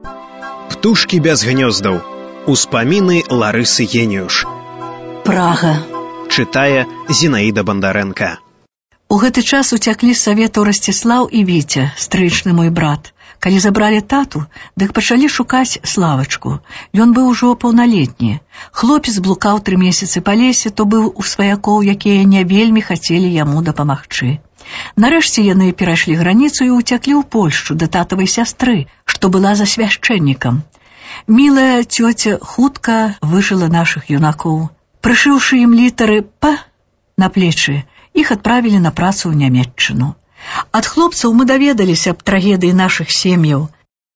Птушкі без гнёздаў. Успаміны Ларысы Геніюш. Прага. Чытае Зінаіда Бандарэнка. У гэты час уцяклі з саветаў Расціслаў і Віця, стрычны мой брат. Калі забралі тату, дык пачалі шукаць Славачку. Ён быў ужо паўналетні. Хлопец блукаў 3 месяцы па лесе, то быў у сваякоў, якія не вельмі хацелі яму дапамагчы. Нарэшце яны перайшлі граніцу і ўцяклі ў Польшчу да татавай сястры, што была за свяшчэннікам. Мілая цёця хутка выжыла нашых юнакоў. Прышыўшы ім літары «П» на плечы, іх адправілі на працу ў Нямецчыну. Ад хлопцаў мы даведаліся аб трагедыі нашых сем'яў.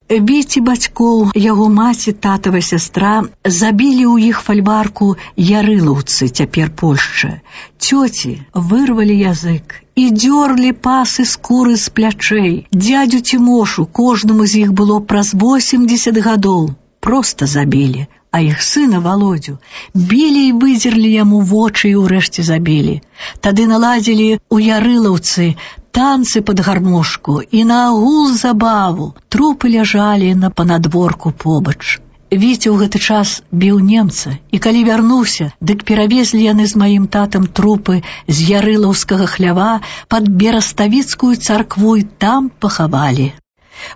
Віці бацькоў, яго маці, татава сястра забілі ў іх фальварку ярылаўцы, цяпер Польшча. Цёці вырвалі язык і дзёрлі пасы скуры з плячэй. Дзядзю Цімошу, кожнаму з іх было праз 80 гадоў, проста забілі. А іх сына Володю білі і выдзерлі яму вочы і ўрэшце забілі. Тады наладзілі ў ярылаўцы танцы пад гармошку і на агул забаву. Трупы ляжалі на панадворку побач. Віця ў гэты час біў немца, і калі вярнуўся, дык перавезлі яны з маім татам трупы з ярылаўскага хлява пад Бераставіцкую царкву і там пахавалі.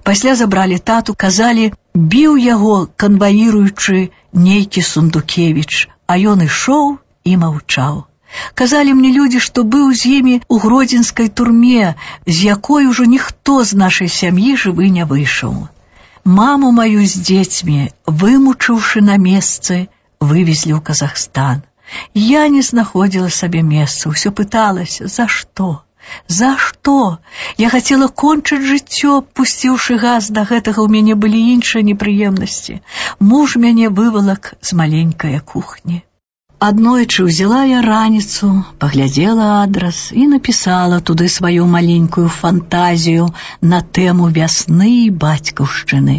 Пасля забралі тату, казалі, біў яго, канваіруючы, нейкі Сундукевіч, а ён ішоў і маўчаў. Казалі мне людзі, што быў з імі ў гродзенскай турме, з якой ужо ніхто з нашай сям'і жывы не выйшаў. Маму маю з дзецьмі, вымучыўшы на месцы, вывезлі ў Казахстан. Я не знаходзіла сабе месца, ўсё пыталася, за што? За што? Я хацела кончыць жыццё, пусціўшы газ да гэтага, у мяне былі іншыя непрыемнасці. Муж мяне вывалак з маленькае кухні. Аднойчы ўзяла я раніцу, паглядзела адрас і напісала туды сваю маленькую фантазію на тэму вясны і бацькаўшчыны.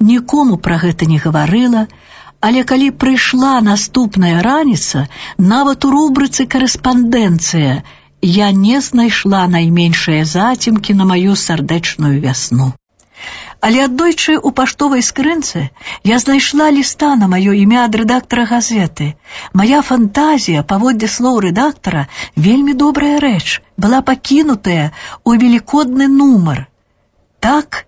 Нікому пра гэта не гаварыла, але калі прыйшла наступная раніца, нават у рубрыцы «Карэспандэнцыя» я не знайшла найменшыя зацемкі на маю сардэчную вясну. Але аднойчы ў паштовай скрынцы я знайшла ліста на маё імя ад рэдактара газеты. Мая фантазія, паводле слоў рэдактара, вельмі добрая рэч, была пакінутая ў велікодны нумар. Так,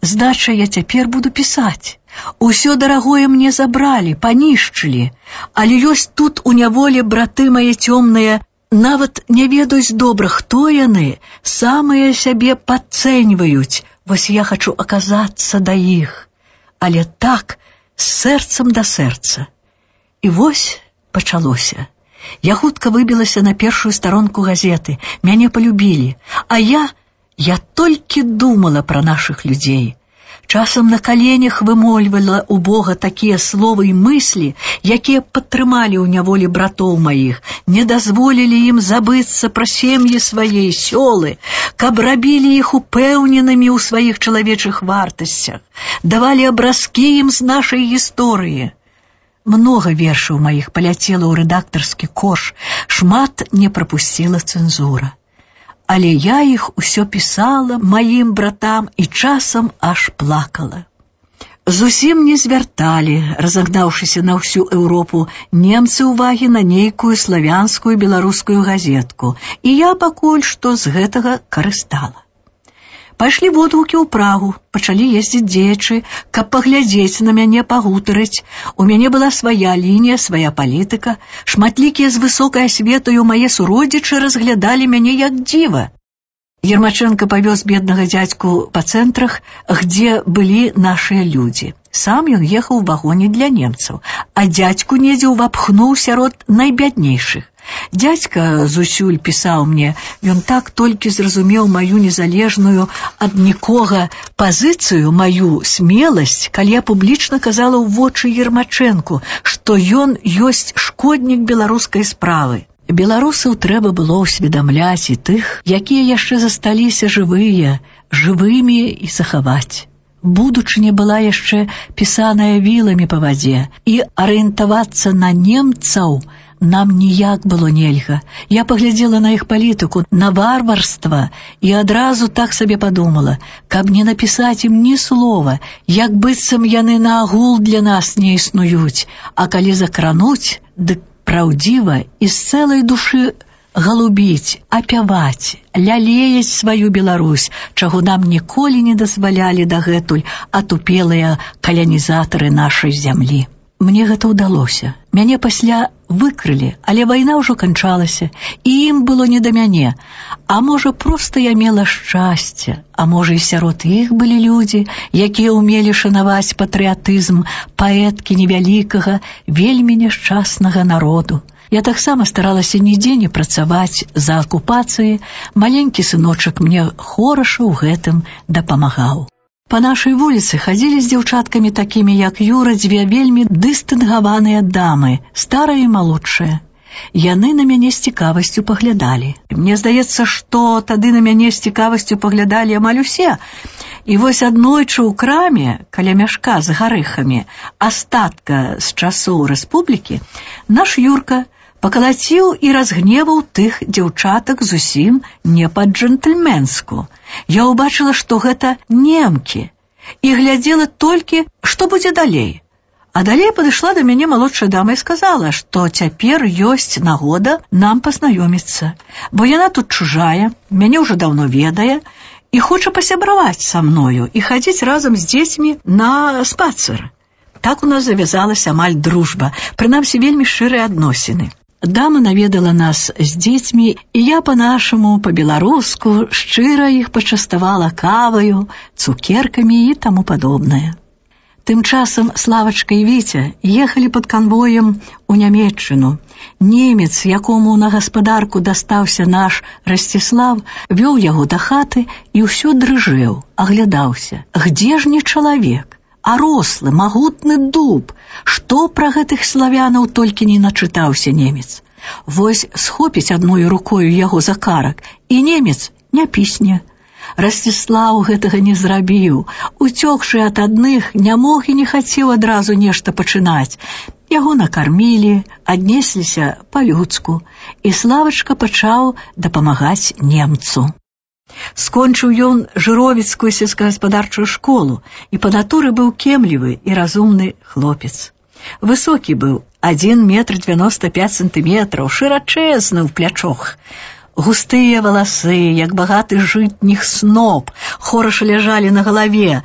значыць, я цяпер буду пісаць. Усё дарагое мне забралі, панішчылі, але ёсць тут у няволі браты мае цёмныя, нават не ведаюць добра, хто яны, самыя сябе падцэньваюць. Вось я хачу аказацца да іх, але так, з сэрцам да сэрца. І вось пачалося. Я хутка выбілася на першую старонку газеты, мяне полюбілі, а я толькі думала пра нашых людзей. Часам на каленях вымольвала у Бога такія словы і мыслі, якія падтрымалі ў няволі братоў маіх, не дазволілі ім забыцца пра сем'і свае, сёлы, каб рабілі іх упэўненымі ў сваіх чалавечых вартасцях, давалі абразкі ім з нашай гісторыі. Многа вершаў маіх паляцела ў рэдактарскі кош, шмат не прапусціла цэнзура. Але я іх усё пісала маім братам і часам аж плакала. Зусім не звярталі, разагнаўшыся на ўсю Еўропу, немцы ўвагі на нейкую славянскую беларускую газетку, і я пакуль што з гэтага карыстала. Пайшлі водгукі ў Прагу, пачалі ездзіць дзеячы, каб паглядзець на мяне, пагутарыць. У мяне была свая лінія, свая палітыка. Шматлікія з высокай асветаю мае суродзічы разглядалі мяне як дзіва. Ермачэнка павёз беднага дзядзьку па цэнтрах, где былі нашыя людзі. Сам ён ехаў у вагоне для немцаў, а дзядзьку недзе ўвапхнуў сярод найбяднейшых. Дзядзька зусюль пісаў мне, ён так толькі зразумеў маю незалежную ад нікога пазіцыю, маю смеласць, калі я публічна казала ў вочы Ермачэнку, што ён ёсць шкоднік беларускай справы. Беларусаў трэба было ўсведамляць і тых, якія яшчэ засталіся жывымі і захаваць. Будучыня была яшчэ пісаная віламі па вадзе, і арыентавацца на немцаў Нам ніяк было нельга. Я паглядзела на іх палітыку, на варварства, і адразу так сабе падумала, каб не напісаць ім ні слова, як быццам яны наогул для нас не існуюць, а калі закрануць, дык праўдзіва і з цэлай душы галубіць, апяваць, лялеяць сваю Беларусь, чаго нам ніколі не дазвалялі дагэтуль атупелыя калянізатары нашай зямлі. Мне гэта ўдалося. Мяне пасля выкрылі, але вайна ўжо канчалася, і ім было не да мяне. А можа, проста я мела шчасце, а можа, і сярод іх былі людзі, якія ўмелі шанаваць патрыятызм паэткі невялікага, вельмі няшчаснага народу. Я таксама старалася нідзе не працаваць за акупацыі, маленькі сыночак мне хораша ў гэтым дапамагаў. Па нашай вуліцы хадзілі з дзяўчаткамі такімі, як Юра, дзве вельмі дыстынгаваныя дамы, старая і малодшая. Яны на мяне з цікавасцю паглядалі. Мне здаецца, што тады на мяне з цікавасцю паглядалі амаль усе. І вось аднойчы ў краме, каля мяшка з гарэхамі, астатка з часоў рэспублікі, наш Юрка пакалаціў і разгневаў тых дзяўчатак зусім не па-джентльменску. Я ўбачыла, што гэта немкі, і глядзела толькі, што будзе далей. А далей падышла да мяне малодшая дама і сказала, што цяпер ёсць нагода нам пазнаёміцца, бо яна тут чужая, мяне ўжо даўно ведае, і хоча пасябраваць са мною і хадзіць разам з дзецьмі на спацыр. Так у нас завязалася амаль дружба, прынамсі вельмі шчырыя адносіны. Дама наведала нас з дзецьмі, і я па-нашаму, па-беларуску, шчыра іх пачаставала каваю, цукеркамі і таму падобнае. Тым часам Славачка і Віця ехалі пад канвоем у Нямецчыну. Немец, якому на гаспадарку дастаўся наш Расціслаў, вёў яго да хаты і ўсё дрыжэў, аглядаўся. Где ж не чалавек? А рослы, магутны дуб. Што пра гэтых славянаў толькі не начытаўся немец. Вось схопіць адною рукою яго за карак, і немец не пісне. Расціслаў гэтага не зрабіў. Уцёкшы ад адных, не мог і не хацеў адразу нешта пачынаць. Яго накармілі, аднесліся па-людску, і Славачка пачаў дапамагаць немцу. Скончыў ён жыровіцкую сельскагаспадарчую школу і па натуры быў кемлівы і разумны хлопец. Высокі быў, 1,95 сантыметраў, шырачэзны ў плячох. Густыя валасы, як багаты жытніх сноп, хораша ляжалі на галаве.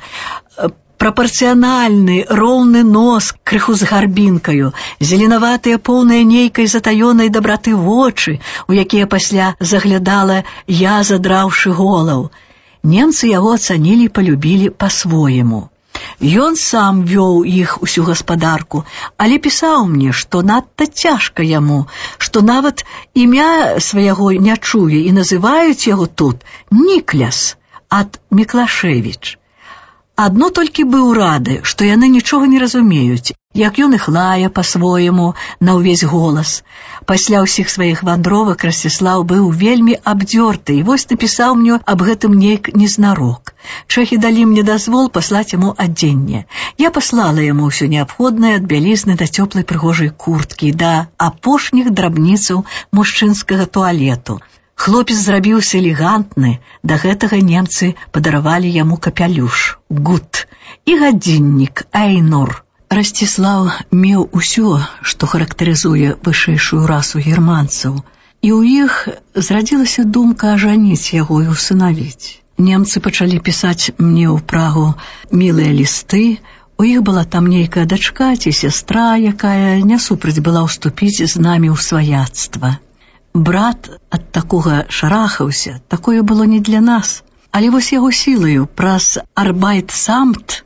Прапорцыянальны, роўны нос, крыху з гарбінкаю, зеленаватыя, поўныя нейкай затаёнай дабраты вочы, у якія пасля заглядала я, задраўшы голаў. Немцы яго ацанілі і палюбілі па-свойму. Ён сам вёў іх усю гаспадарку, але пісаў мне, што надта цяжка яму, што нават імя свайго не чуе і называюць яго тут Нікляс ад Міклашевіч. Адно толькі быў рады, што яны нічога не разумеюць, як ён іх лае па-свойму на ўвесь голас. Пасля ўсіх сваіх вандровак Расціслаў быў вельмі абдзёрты і вось напісаў мне аб гэтым нейк незнарок. Чэхі далі мне дазвол паслаць яму адзенне. Я паслала яму ўсё неабходнае ад бялізны да цёплай прыгожай курткі, да апошніх драбніцаў мужчынскага туалету. Хлопец зрабіўся элегантны, да гэтага немцы падаравалі яму капялюш, гут, і гадзіннік, айнур. Расціслаў меў усё, што характарызуе вышэйшую расу германцаў, і ў іх зрадзілася думка ажаніць яго і усынавіць. Немцы пачалі пісаць мне ў Прагу мілыя лісты, у іх была там нейкая дачка ці сястра, якая не супраць была ўступіць з намі ў сваяцтва. Брат ад такога шарахаўся, такое было не для нас. Але вось яго сілаю праз Арбайтсамт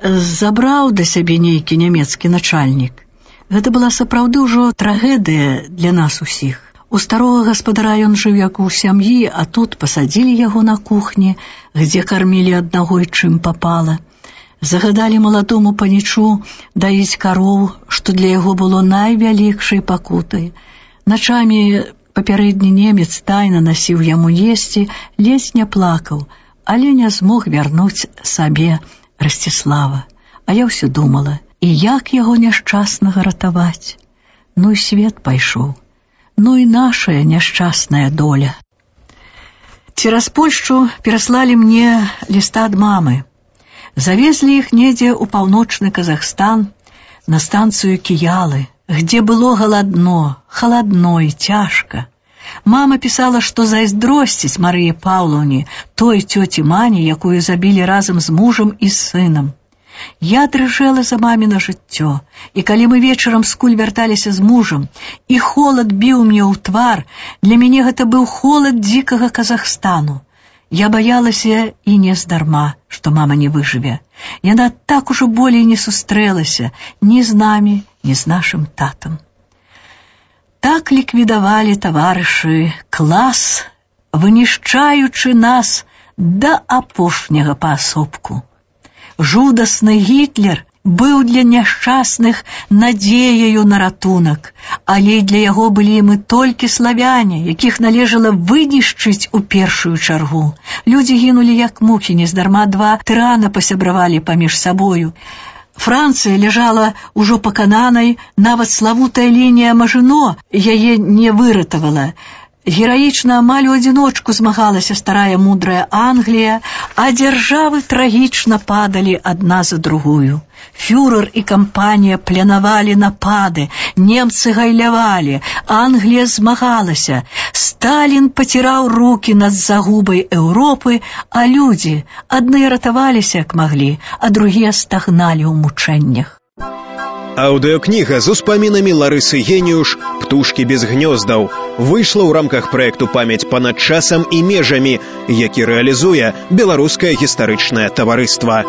забраў да сябе нейкі нямецкі начальнік. Гэта была сапраўды ўжо трагедыя для нас усіх. У старога гаспадара ён жыў як у сям'і, а тут пасадзілі яго на кухні, где кармілі аднаго і чым папала. Загадалі маладому панічу даіць кароў, што для яго было найвялікшай пакутай. Начамі папярэдні немец тайна насіў яму есці, ледзь не плакаў, але не змог вярнуць сабе Расціслава. А я ўсё думала, і як яго няшчаснага ратаваць? Ну і свет пайшоў. Ну і нашая няшчасная доля. Цераз Польшчу пераслалі мне ліста ад мамы. Завезлі іх недзе ў паўночны Казахстан на станцыю Кіялы, где было халадно і цяжка. Мама пісала, што зайздросціць Марыі Паўлаўне, той цёці Мані, якую забілі разам з мужам і сынам. Я дрыжэла за маміна жыццё, і калі мы вечарам скуль вярталіся з мужам, і холад біў мне ў твар, для мяне гэта быў холад дзікага Казахстану. Я баялася і не здарма, што мама не выжыве. Яна так ужо болей не сустрэлася ні з намі, ні з нашым татам. Так ліквідавалі таварышы клас, вынішчаючы нас да апошняга паасобку. Жудасны Гітлер быў для няшчасных надзеяю на ратунак, але для яго былі мы толькі славяне, якіх належала вынішчыць у першую чаргу. Людзі гінулі як мухі, нездарма два тырана пасябравалі паміж сабою. Францыя ляжала ўжо пакананай, нават славутая лінія Мажино яе не выратавала. Гераічна амаль у адзіночку змагалася старая мудрая Англія, а дзяржавы трагічна падалі адна за другую. Фюрер і кампанія планавалі напады, немцы гайлявалі, Англія змагалася, Сталін паціраў рукі над загубай Еўропы, а людзі адны ратаваліся як маглі, а другія стагналі ў мучэннях. Аўдыокніга з успамінамі Ларысы Геніюш «Птушкі без гнёздаў» выйшла ў рамках праекту «Памяць панад часам і межамі», які рэалізуе Беларускае гістарычнае таварыства.